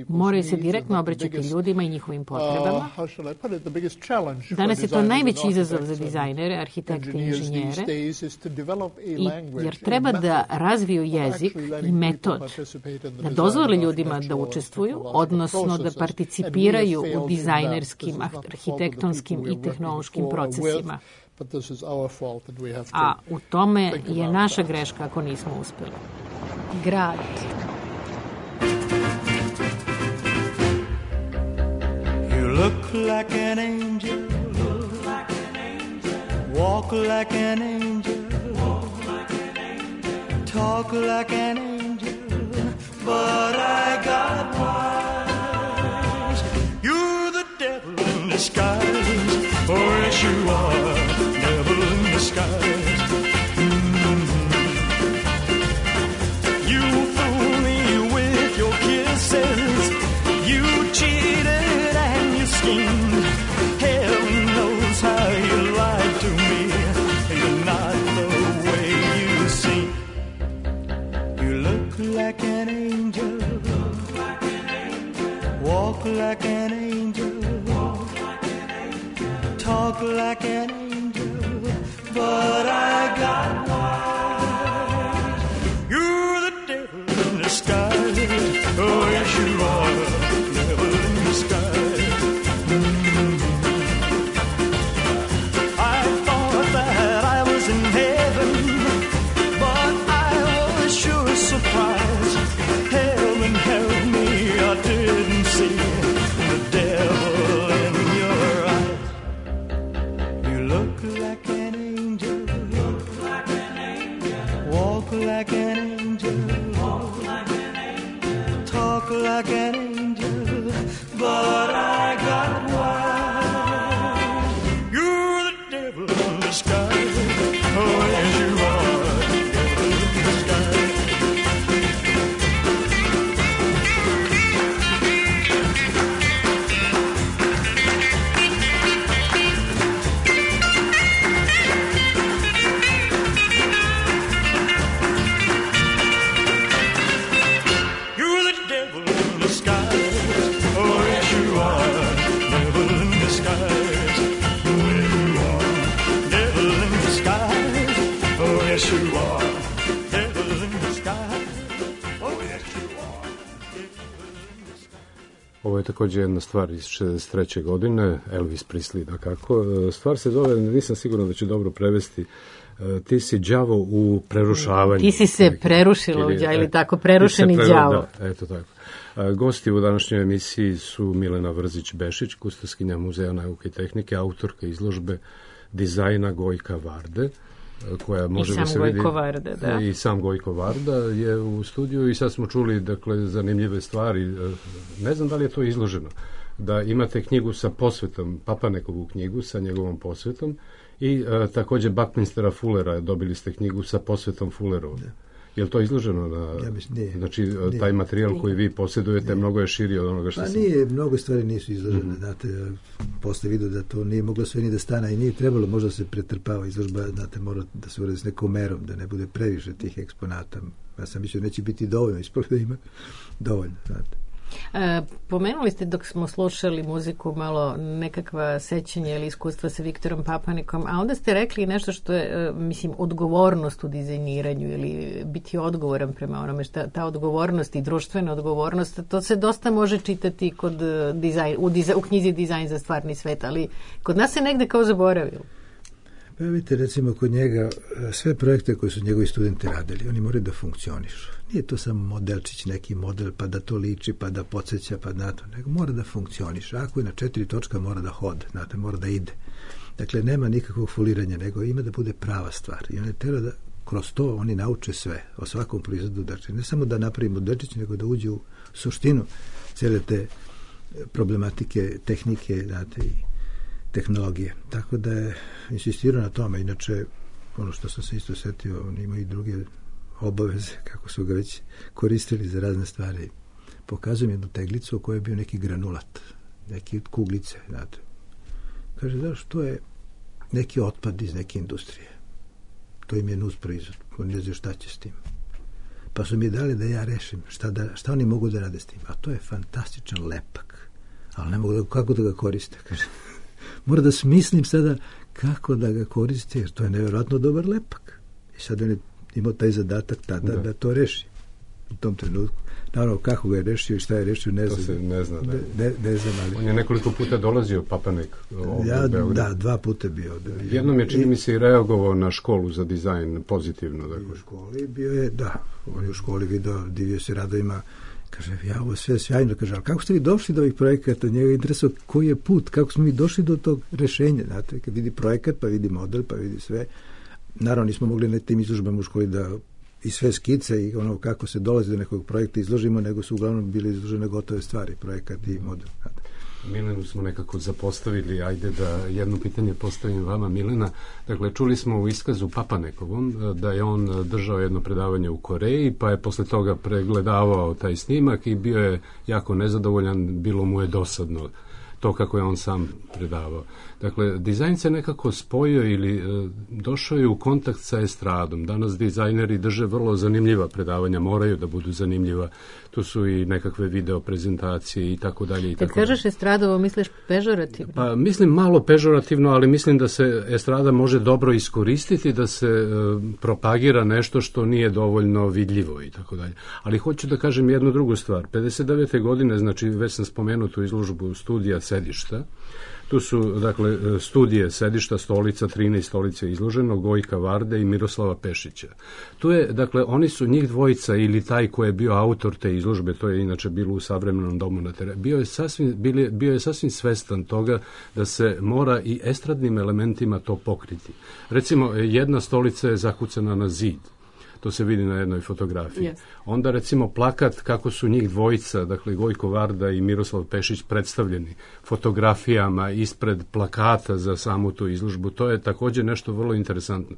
moraju se direktno obraćati ljudima i njihovim potrebama. Danas je to najveći izazov za dizajnere, arhitekte i inženjere, jer treba da razviju jezik i metod, da dozvole ljudima da učestvuju, odnosno da participiraju u dizajnerskim, arhitektonskim i tehnološkim procesima. A u tome je naša greška ako nismo uspjeli. Grad. You look like an angel, walk like an angel, talk like an angel, but I got wise. You're the devil in disguise, oh yes you are. Skies. You fool me with your kisses. You cheated and you schemed. Heaven knows how you lied to me. You're not the way you seem. You look like an angel. Walk like an angel. Talk like an angel. But I got wise. You're the devil in disguise. Oh, yes, you are. Devil in disguise. I thought that I was in heaven, but I was sure surprised. Heaven help me, I didn't see the devil in your eyes. You look like an like an angel, walk like an angel, talk like an angel, but I got wise. You're the devil in disguise, oh yes you are, devil in Ovo je također jedna stvar iz 63. godine, Elvis Presley, dakako. Stvar se zove, nisam siguran da ću dobro prevesti, ti si đavo u prerušavanju. Ti si se prerušila u đavo, ili tako, prerušeni đavo. Da, eto tako. Gosti u današnjoj emisiji su Milena Vrzić-Bešić, kustoskinja Muzeja nauke i tehnike, autorka izložbe dizajna Gojka Varde, koja može da se vidi. Varda, da. I sam Gojko Varda je u studiju i sad smo čuli, dakle, zanimljive stvari. Ne znam da li je to izloženo, da imate knjigu sa posvetom, Papanekovu knjigu sa njegovom posvetom i također Buckminstera Fullera, dobili ste knjigu sa posvetom Fullerovu. Je li to izloženo na... Ja mislim, nije. Znači, taj materijal koji vi posjedujete mnogo je širi od onoga što nije, mnogo stvari nisu izložene. Znate, posle vidio da to nije moglo sve ni da stane i nije trebalo, možda se pretrpava izložba, znate, mora da se uradi s nekom merom, da ne bude previše tih eksponata. Ja sam mislio, neće biti dovoljno, ispravo da ima dovoljno, znate. Pomenuli ste dok smo slušali muziku malo nekakva sećanja ili iskustva sa Viktorom Papanikom, a onda ste rekli nešto što je, mislim, odgovornost u dizajniranju ili biti odgovoran prema onome, ta odgovornost i društvena odgovornost, to se dosta može čitati kod u knjizi Dizajn za stvarni svet, ali kod nas se negde kao zaboravilo. Pa vidite, recimo, kod njega sve projekte koje su njegovi studenti radili, oni moraju da funkcionišu. Nije to samo modelčić, neki model, pa da to liči, pa da podsjeća, pa na to, nego mora da funkcioniše. Ako je na 4 točka, mora da hode, znate, mora da ide. Dakle, nema nikakvog foliranja, nego ima da bude prava stvar. I oni treba da kroz to oni nauče sve o svakom proizvodu. Dakle, ne samo da napravi modelčić, nego da uđe u suštinu cele te problematike, tehnike, znate, i tehnologije. Tako da je insistirao na tome. Inače, ono što sam se isto setio, on ima i druge obaveze, kako su ga već koristili za razne stvari. Pokazujem jednu teglicu u kojoj je bio neki granulat, neki kuglice, znate. Kaže, znaš, to je neki otpad iz neke industrije. To im je nus proizvod. Oni ne znaju šta će s tim. Pa su mi dali da ja rešim šta oni mogu da rade s tim. A to je fantastičan lepak. Ali ne mogu kako da ga koriste, kaže. Mora da smislim sada kako da ga koriste, jer to je nevjerojatno dobar lepak. I sad on je imao taj zadatak tada da to reši u tom trenutku. Naravno, kako ga je rešio i šta je rešio, ne znam. To se ne zna. Ne znam, ali... On je nekoliko puta dolazio, Papanek. Da, 2 puta bio. Jednom je, čini mi se, i reagovao na školu za dizajn pozitivno. Dakle. U školi bio je, on je u školi video, divio se radovima. Kaže, ja, ovo sve sjajno, kaže, ali kako ste vi došli do ovih projekata? Njega interesuje koji je put, kako smo mi došli do tog rešenja, znate, kad vidi projekat, pa vidi model, pa vidi sve. Naravno, nismo mogli na tim izložbama u školi da i sve skice i ono kako se dolazi do nekog projekta izložimo, nego su uglavnom bili izložene gotove stvari, projekat i model. Znate. Milenu smo nekako zapostavili, ajde da jedno pitanje postavim vama, Milena. Dakle, čuli smo u iskazu Papanekovom da je on držao jedno predavanje u Koreji, pa je posle toga pregledavao taj snimak i bio je jako nezadovoljan, bilo mu je dosadno to kako je on sam predavao. Dakle, dizajn se nekako spojio ili došao je u kontakt sa estradom. Danas dizajneri drže vrlo zanimljiva predavanja, moraju da budu zanimljiva. Tu su i nekakve video prezentacije i tako dalje. Kad kažeš estradovo, misliš pežorativno? Pa mislim malo pežorativno, ali mislim da se estrada može dobro iskoristiti, da se propagira nešto što nije dovoljno vidljivo i tako dalje. Ali hoću da kažem jednu drugu stvar. 59. godine, znači već sam spomenuo tu izložbu studija sedišta. Tu su, dakle, studije sedišta, stolica, 13 stolica izloženo, Gojka Varde i Miroslava Pešića. Tu je, dakle, oni su njih dvojica ili taj ko je bio autor te izložbe, to je inače bilo u Savremenom domu na terenu, bio je sasvim svestan toga da se mora i estradnim elementima to pokriti. Recimo, jedna stolica je zakucana na zid. To se vidi na jednoj fotografiji. Yes. Onda recimo plakat kako su njih dvojica, dakle Gojko Varda i Miroslav Pešić predstavljeni fotografijama ispred plakata za samu tu izložbu. To je također nešto vrlo interesantno.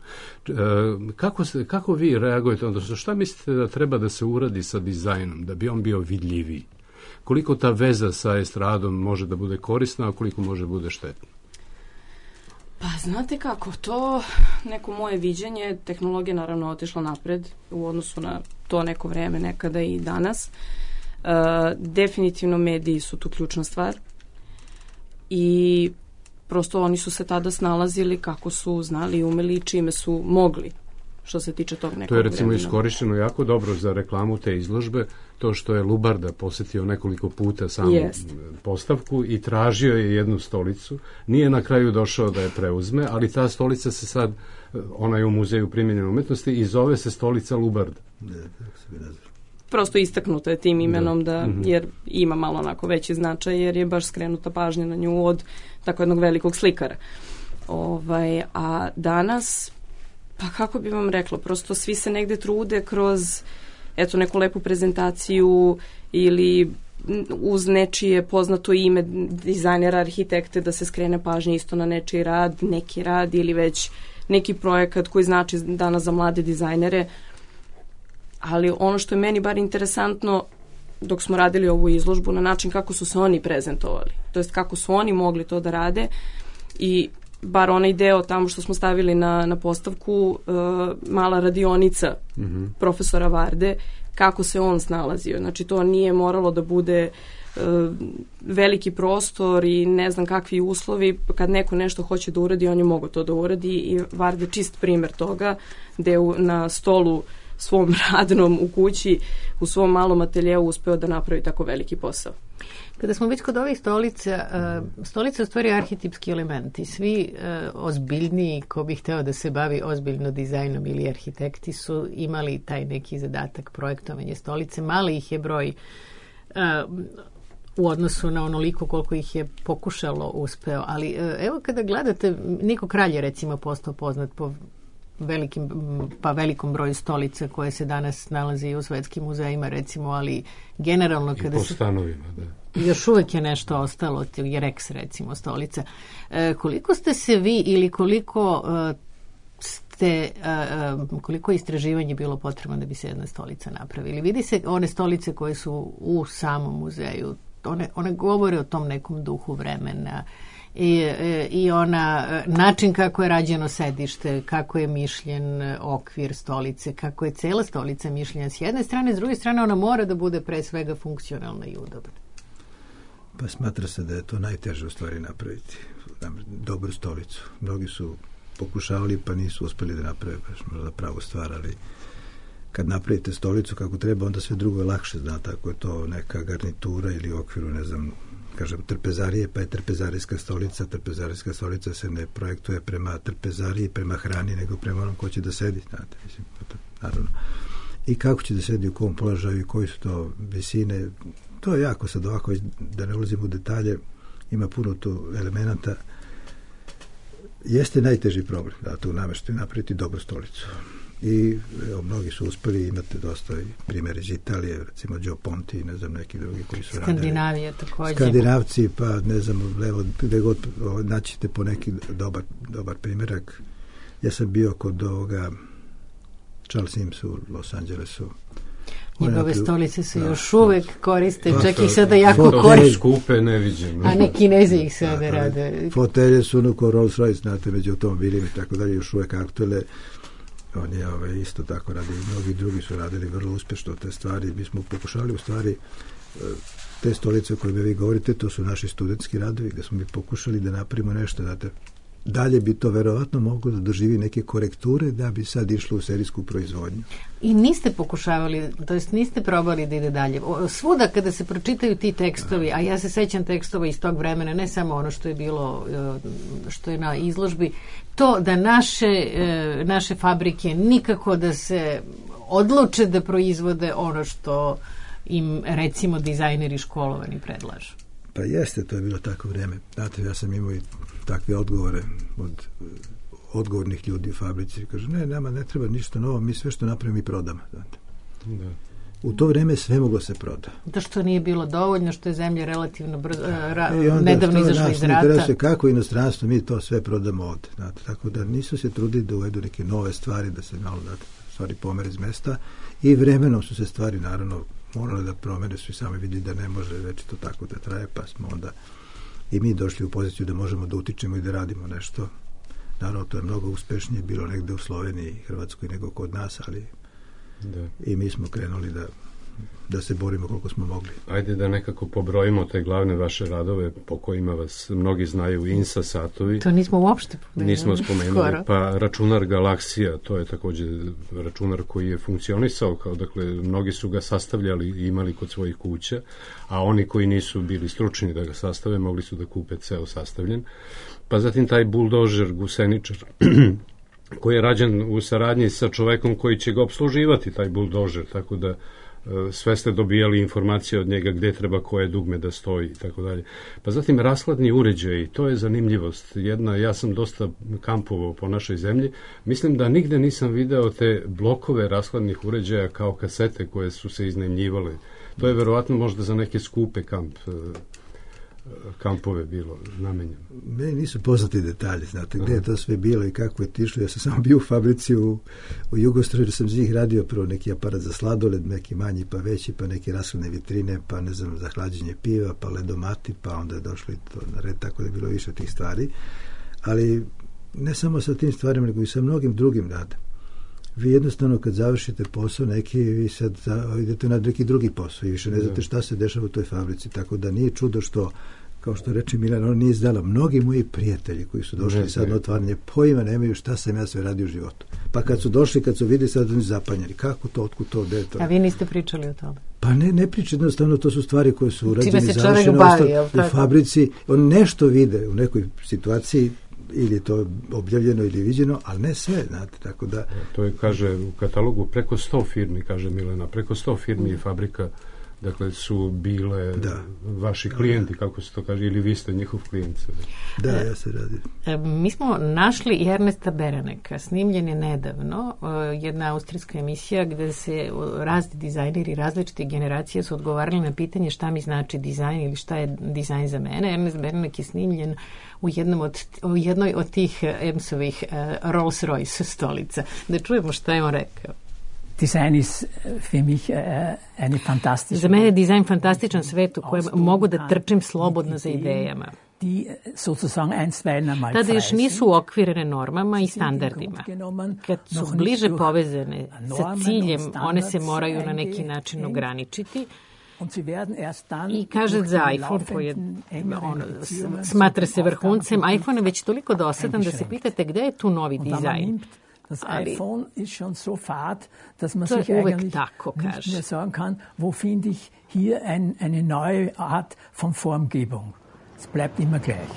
Kako vi reagujete? Odnosno, šta mislite da treba da se uradi sa dizajnom, da bi on bio vidljiviji? Koliko ta veza sa estradom može da bude korisna, a koliko može bude štetna? Pa znate kako, to neko moje viđenje, tehnologija naravno otišla napred u odnosu na to neko vreme, nekada i danas. Definitivno mediji su tu ključna stvar i prosto oni su se tada snalazili kako su znali i umeli i čime su mogli. što se tiče tog nekog To je recimo vremena. iskorišteno jako dobro za reklamu te izložbe, to što je Lubarda posetio nekoliko puta samu postavku i tražio je jednu stolicu. Nije na kraju došao da je preuzme, ali ta stolica se sad, ona je u Muzeju primjenjene umetnosti i zove se stolica Lubarda. Prosto istaknuto je tim imenom jer ima malo onako veći značaj, jer je baš skrenuta pažnja na nju od tako jednog velikog slikara. A danas, pa kako bi vam rekla, prosto svi se negde trude kroz neku lepu prezentaciju ili uz nečije poznato ime dizajnera, arhitekte, da se skrene pažnja isto na nečiji rad, neki rad ili već neki projekat koji znači danas za mlade dizajnere. Ali ono što je meni bar interesantno dok smo radili ovu izložbu, na način kako su se oni prezentovali, to jest kako su oni mogli to da rade, i bar onaj deo tamo što smo stavili na postavku, mala radionica profesora Varde, kako se on snalazio. Znači to nije moralo da bude veliki prostor i ne znam kakvi uslovi. Kad neko nešto hoće da uradi, on je mogao to da uradi, i Varde čist primer toga, gde na stolu svom radnom u kući, u svom malom ateljeu uspeo da napravi tako veliki posao. Kada smo već kod ovih stolica, stolica je u stvari arhetipski element i svi ozbiljniji ko bi hteo da se bavi ozbiljno dizajnom ili arhitekti su imali taj neki zadatak projektovanja stolice. Mali ih je broj u odnosu na onoliko koliko ih je pokušalo uspeo, ali evo kada gledate, Niko Kralj je recimo postao poznat po velikom broju stolica koje se danas nalazi u svetskim muzejima recimo, ali generalno kada po stanovima, još uvek je nešto ostalo, je Rex recimo stolica. Koliko ste se vi ili koliko istraživanje bilo potrebno da bi se jedna stolica napravili? Vidi se one stolice koje su u samom muzeju, one govore o tom nekom duhu vremena i način kako je rađeno sedište, kako je mišljen okvir stolice, kako je cela stolica mišljena s jedne strane, s druge strane ona mora da bude pre svega funkcionalna i udobna. Pa smatra se da je to najteže u stvari napraviti, dobru stolicu. Mnogi su pokušavali pa nisu uspeli da naprave baš možda pravu stvar, ali kad napravite stolicu kako treba, onda sve drugo je lakše, znate, ako je to neka garnitura ili u okviru, ne znam, kažem, trpezarije, pa je trpezarijska stolica. Trpezarijska stolica se ne projektuje prema trpezariji, prema hrani, nego prema onom ko će da sedi, znate, mislim, naravno. I kako će da sedi, u kom položaju i koji su to visine, to je jako sad ovako, da ne ulazim u detalje, ima puno tu elemenata. Jeste najteži problem, da tu nameštaju napraviti dobru stolicu. I mnogi su uspeli, imate dosta primjer iz Italije, recimo Gio Ponti i ne znam neki drugi koji su radili. Skandinavija također. Skandinavci, pa ne znam, levo, gde god naćete po neki dobar primjerak. Ja sam bio kod ovoga Charles Sims u Los Angelesu. Njegove stolice se još uvek koriste, čak ih sada jako koriste. Skupe, neviđeno. A ne Kinezi ih sada rade. Fotelje su ono ko Rolls Royce, znate, među automobilima i tako dalje, još uvek aktuelne. On je isto tako radi, mnogi drugi su radili vrlo uspješno te stvari. Mi smo pokušali u stvari te stolice koje vi govorite, to su naši studentski radovi, gde smo mi pokušali da napravimo nešto, znate, dalje bi to verovatno moglo da doživi neke korekture da bi sad išlo u serijsku proizvodnju. I niste pokušavali, to jest niste probali da ide dalje. Svuda kada se pročitaju ti tekstovi, a ja se sećam tekstova iz tog vremena, ne samo ono što je bilo, što je na izložbi, to da naše fabrike nikako da se odluče da proizvode ono što im recimo dizajneri školovani predlažu. Pa jeste, to je bilo tako vreme. Znate, ja sam imao i takve odgovore od odgovornih ljudi u fabrici. Kažu, ne, nama ne treba ništa novo, mi sve što napravimo i prodamo. Znate. Da. U to vreme sve moglo se proda. Da što nije bilo dovoljno, što je zemlja relativno nedavno izašla iz rata. Interesuje kako inostranstvo, mi to sve prodamo ovde. Znate. Tako da nisu se trudili da uvedu neke nove stvari, da se malo stvari pomere iz mesta, i vremenom su se stvari naravno morali da promene, su i sami vidjeli da ne može već to tako da traje, pa smo onda i mi došli u poziciju da možemo da utičemo i da radimo nešto. Naravno, to je mnogo uspešnije bilo negde u Sloveniji i Hrvatskoj nego kod nas, ali i mi smo krenuli da se borimo koliko smo mogli. Ajde da nekako pobrojimo te glavne vaše radove po kojima vas mnogi znaju, INSA satovi. To nismo uopšte pomenuli. Nismo spomenuli, pa računar Galaksija, to je također računar koji je funkcionisao, kao, dakle, mnogi su ga sastavljali i imali kod svojih kuća, a oni koji nisu bili stručni da ga sastave, mogli su da kupe ceo sastavljen. Pa zatim taj buldožer, guseničar, koji je rađen u saradnji sa čovekom koji će ga obsluživati, taj buldožer, tako da sve ste dobijali informacije od njega gde treba koje dugme da stoji i tako dalje. Pa zatim rashladni uređaji, to je zanimljivost. Ja sam dosta kampovao po našoj zemlji. Mislim da nigde nisam video te blokove rashladnih uređaja kao kasete koje su se iznajmljivale. To je verovatno možda za neke skupe kampove bilo namenjeno. Meni nisu poznati detalji, znate, gde je to sve bilo i kako je tišlo. Ja sam samo bio u fabrici u Jugostroju, jer sam za njih radio prvo neki aparat za sladoled, neki manji pa veći, pa neke rashladne vitrine, pa ne znam, za hlađenje piva, pa ledomati, pa onda je došlo i to na red, tako da je bilo više tih stvari. Ali ne samo sa tim stvarima, nego i sa mnogim drugim radom. Vi jednostavno kad završite posao neki, vi sad idete na neki drugi posao i više ne znate šta se dešava u toj fabrici, tako da nije čudo što, kao što reče Milan, on nije izdala. Mnogi moji prijatelji koji su došli sad na otvaranje, pojma nemaju šta sam ja sve radio u životu. Pa kad su došli, kad su vidjeli, sad oni zapanjeni. Kako to, otkud to, gde je to? A vi niste pričali o tome? Pa ne priča, jednostavno to su stvari koje su urađene, završene u fabrici. On nešto vide u nekoj situaciji, ili je to objavljeno ili viđeno, ali ne sve, znate, tako da... To je, kaže, u katalogu preko 100 firmi, kaže Milena, preko 100 firmi i fabrika, dakle, su bile vaši klijenti, kako se to kaže, ili vi ste njihov klijent. Da, ja se radim. Mi smo našli i Ernesta Bereneka, snimljen je nedavno, jedna austrijska emisija gde se razni dizajneri različite generacije su odgovarali na pitanje šta mi znači dizajn ili šta je dizajn za mene. Ernest Berenek je snimljen u jednoj od tih EMS-ovih Rolls-Royce stolica. Da čujemo šta je on rekao. Design ist für mich eine fantastische... Za mene je dizajn fantastičan svet u kojem mogu da trčim slobodno za idejama. Tada još nisu uokvirene normama i standardima. Kad su bliže povezane sa ciljem, one se moraju na neki način ograničiti. I kaže za iPhone, koji je, smatra se vrhuncem, iPhone je već toliko dosadan da se pitate gde je tu novi dizajn. Das iPhone ist schon so fad, dass man sich eigentlich nicht mehr sagen kann, wo finde ich hier eine neue Art von Formgebung. Es bleibt immer gleich.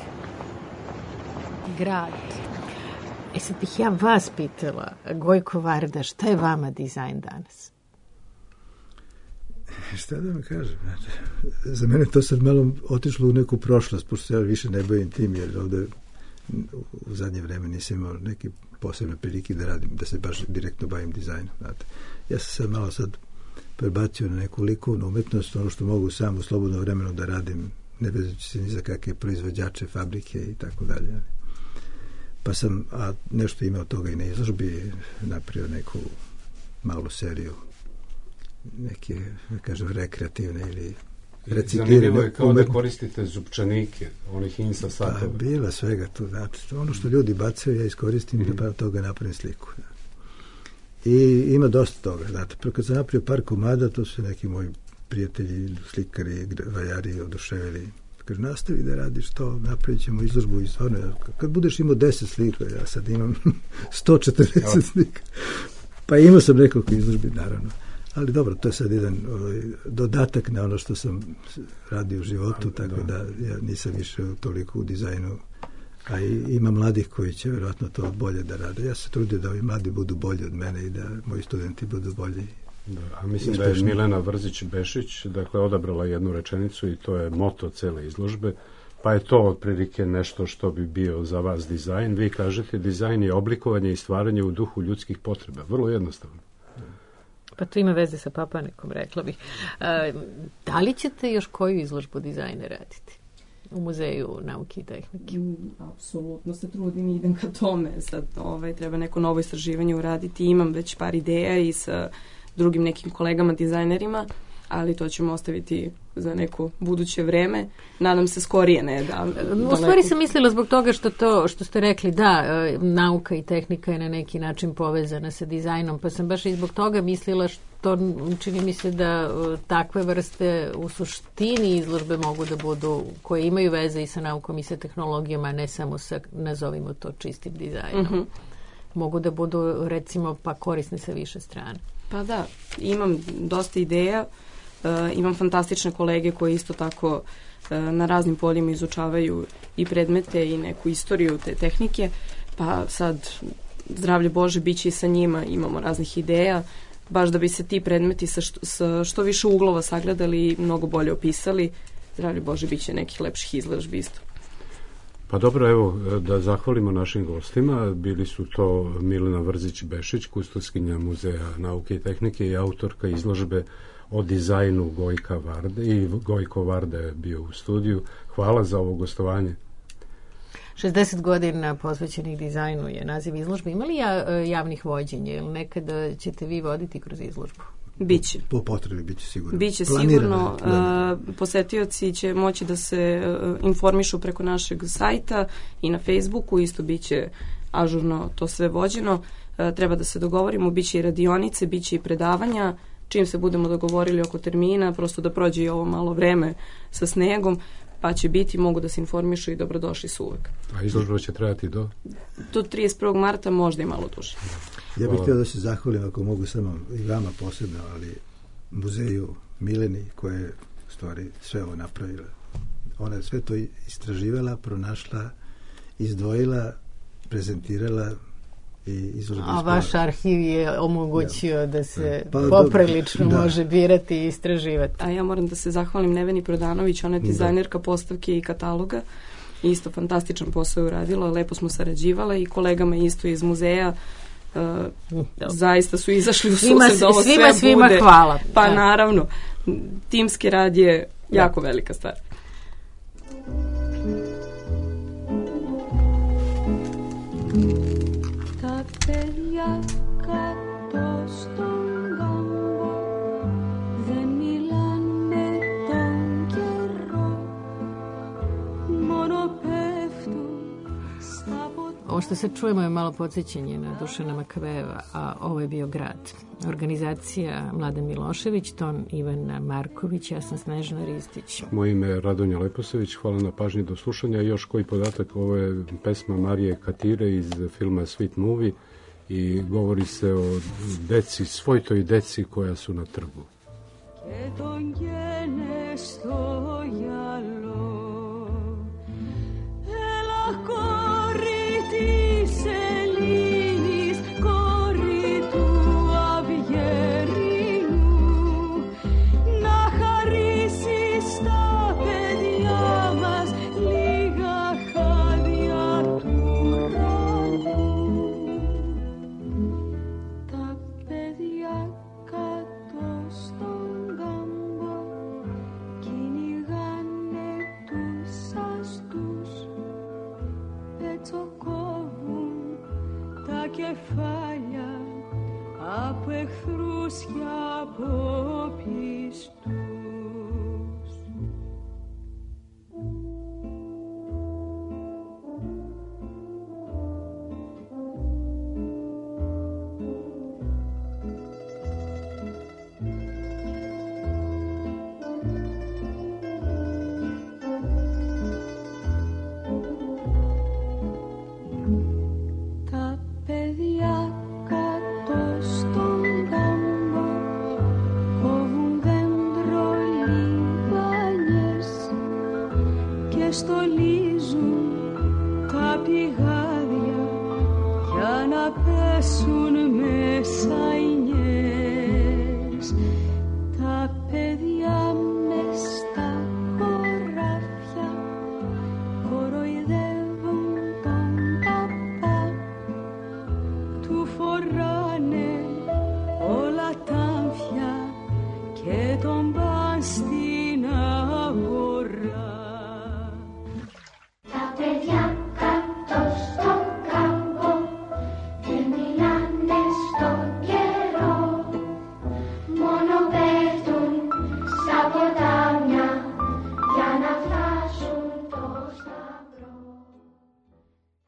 Grad. Sad bih ja vas pitala, Gojko Varda, šta je vama dizajn danas? Šta da vam kažem? Za mene to sad malo otišlo u neku prošlost, pošto se ja više ne bavim tim, jer ovde u zadnje vreme nisam imao neki posebne prilike da radim, da se baš direktno bavim dizajnom. Znate. Ja sam malo sad prebacio na neku likovnu umetnost, ono što mogu sam u slobodno vremenu da radim, ne vezujući se ni za kakve proizvođače, fabrike i tako dalje. Pa sam nešto imao toga i na izložbi, napravio neku malu seriju, neke, da kažem, rekreativne ili zanimljivo je kao da koristite zupčanike, onih INSA satova. Pa, bila svega tu, znate. Ono što ljudi bacaju, ja iskoristim i da toga napravim sliku. I ima dosta toga, znate. Kad sam napravio par komada, to su neki moji prijatelji, slikari, vajari oduševili. Kaže, nastavi da radiš to, napravit ćemo izložbu i stvarno, kad budeš imao 10 slika, ja sad imam 140 slika. Pa imao sam nekoliko izložbi, naravno. Ali dobro, to je sad jedan dodatak na ono što sam radio u životu, tako da ja nisam više toliko u dizajnu, a ima mladih koji će vjerojatno to bolje da rade. Ja se trudim da ovi mladi budu bolji od mene i da moji studenti budu bolji. A mislim da je Milena Vrzić-Bešić odabrala jednu rečenicu i to je moto cele izložbe, pa je to otprilike nešto što bi bio za vas dizajn. Vi kažete, dizajn je oblikovanje i stvaranje u duhu ljudskih potreba. Vrlo jednostavno. Pa to ima veze sa Papanekom, rekla bih. Da li ćete još koju izložbu dizajna raditi u Muzeju nauke i tehnike? Apsolutno se trudim i idem ka tome. Sad treba neko novo istraživanje uraditi. Imam već par ideja i sa drugim nekim kolegama dizajnerima, ali to ćemo ostaviti za neko buduće vreme. Nadam se skorije, ne da... U stvari sam mislila zbog toga što ste rekli, da, nauka i tehnika je na neki način povezana sa dizajnom, pa sam baš i zbog toga mislila to čini mi se da takve vrste u suštini izložbe mogu da budu, koje imaju veze i sa naukom i sa tehnologijama, ne samo sa, nazovimo to, čistim dizajnom. Mogu da budu, recimo, pa korisne sa više strane. Pa da, imam dosta ideja, imam fantastične kolege koji isto tako na raznim poljima izučavaju i predmete i neku istoriju te tehnike, pa sad, zdravlje Bože, bit će i sa njima, imamo raznih ideja, baš da bi se ti predmeti sa što više uglova sagledali i mnogo bolje opisali. Zdravlje Bože, bit će nekih lepših izložbi isto. Pa dobro, evo, da zahvalimo našim gostima. Bili su to Milena Vrzić-Bešić, kustoskinja Muzeja nauke i tehnike i autorka izložbe o dizajnu Gojka Varde, i Gojko Varda je bio u studiju. Hvala za ovo gostovanje. 60 godina posvećenih dizajnu je naziv izložbe. Ima li javnih vođenja ili nekada ćete vi voditi kroz izložbu? Biće. Po potrebi biće sigurno. Biće sigurno. Posetioci će moći da se informišu preko našeg sajta i na Facebooku. Isto biće ažurno to sve vođeno. Treba da se dogovorimo. Biće i radionice, biće i predavanja. Čim se budemo dogovorili oko termina, prosto da prođe i ovo malo vreme sa snegom, pa će biti, mogu da se informišu i dobrodošli su uvek. A izložba će trajati do 31. marta, možda i malo duže. Ja bih htio da se zahvalim, ako mogu samo i vama posebno, ali muzeju Mileni koja je u stvari sve ovo napravila. Ona je sve to istraživala, pronašla, izdvojila, prezentirala i izložba. A vaš arhiv je omogućio da se poprilično može birati i istraživati. A ja moram da se zahvalim Neveni Prodanović, ona je dizajnerka postavke i kataloga. Isto fantastičan posao je uradila, lepo smo sarađivale i kolegama isto iz muzeja. Zaista su izašli u susret da ovo sve bude. Hvala. Pa naravno, timski rad je jako velika stvar. Παιδιά κάτω στον κάμπο δεν μιλάνε τον καιρό, μόνο πέφτουν στα ποτέ. Ovo što se čujemo je malo podsjećanje na Dušana Makaveva, a ovo je bio grad. Organizacija Mladen Milošević, ton Ivana Marković, ja sam Snežana Ristić. Moje ime je Radonja Leposević, hvala na pažnji, do slušanja. Još koji podatak, ovo je pesma Marije Katire iz filma Sweet Movie i govori se o deci, svojtoj deci koja su na trgu. Και τον γένε στο γυαλό, έλα κόρη της Ελλήνης, κόρη του Αυγερινού, να χαρίσεις τα παιδιά μας λίγα χάδια του ουρανού. Τα παιδιά κάτω στον κάμπο κυνηγάνε τους αστούς, πετσοκόβουν τα κεφάλια από εχθρούς και από πιστούς. Τα παιδιά κάτω στον κάμπο κόβουν δέντρο λιβάνιες και στολίζουν τα πηγάδια για να πέσουν μέσα οι